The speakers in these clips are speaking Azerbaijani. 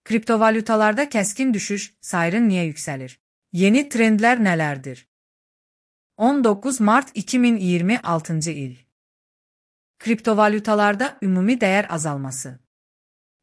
Kriptovalutalarda kəskin düşüş, sayrın niyə yüksəlir? Yeni trendlər nələrdir? 19 Mart 2026 il. Kriptovalutalarda ümumi dəyər azalması.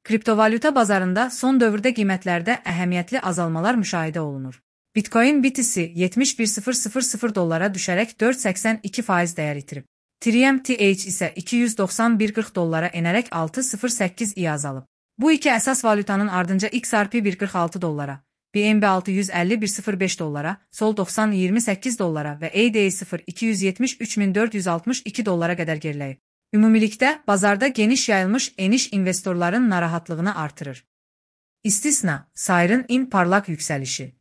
Kriptovaluta bazarında son dövrdə qiymətlərdə əhəmiyyətli azalmalar müşahidə olunur. Bitcoin BTC $71,000 düşərək 4,82% dəyər itirib. Ethereum TH isə $291,40 enərək 6,08 azalıb. Bu iki əsas valyutanın ardınca XRP $1,46, BNB $650,105, Sol $90,28 və ADA0 $273,462 qədər geriləyib. Ümumilikdə, bazarda geniş yayılmış eniş investorların narahatlığını artırır. İstisna, sayrın parlaq yüksəlişi.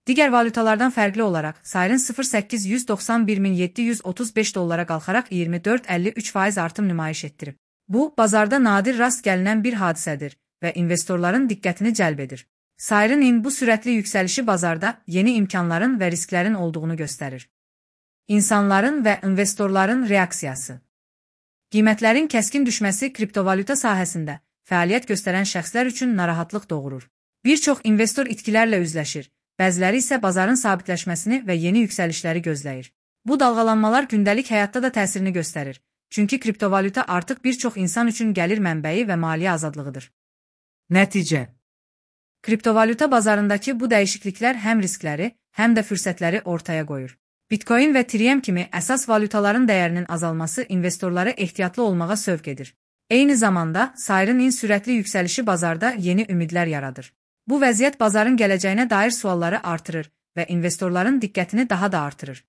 Digər valyutalardan fərqli olaraq, sayrın $891,735 qalxaraq 24,53% artım nümayiş etdirib. Bu, bazarda nadir rast gəlinən bir hadisədir və investorların diqqətini cəlb edir. Sayrın bu sürətli yüksəlişi bazarda yeni imkanların və risklərin olduğunu göstərir. İnsanların və investorların reaksiyası. Qiymətlərin kəskin düşməsi kriptovalyuta sahəsində fəaliyyət göstərən şəxslər üçün narahatlıq doğurur. Bir çox investor itkilərlə üzləşir, bəziləri isə bazarın sabitləşməsini və yeni yüksəlişləri gözləyir. Bu dalğalanmalar gündəlik həyatda da təsirini göstərir, çünki kriptovalyuta artıq bir çox insan üçün gəlir mənbəyi və maliyyə azadlığıdır. Nəticə. Kriptovalyuta bazarındakı bu dəyişikliklər həm riskləri, həm də fürsətləri ortaya qoyur. Bitcoin və Ethereum kimi əsas valyutaların dəyərinin azalması investorları ehtiyatlı olmağa sövq edir. Eyni zamanda, sayrın sürətli yüksəlişi bazarda yeni ümidlər yaradır. Bu vəziyyət bazarın gələcəyinə dair sualları artırır və investorların diqqətini daha da artırır.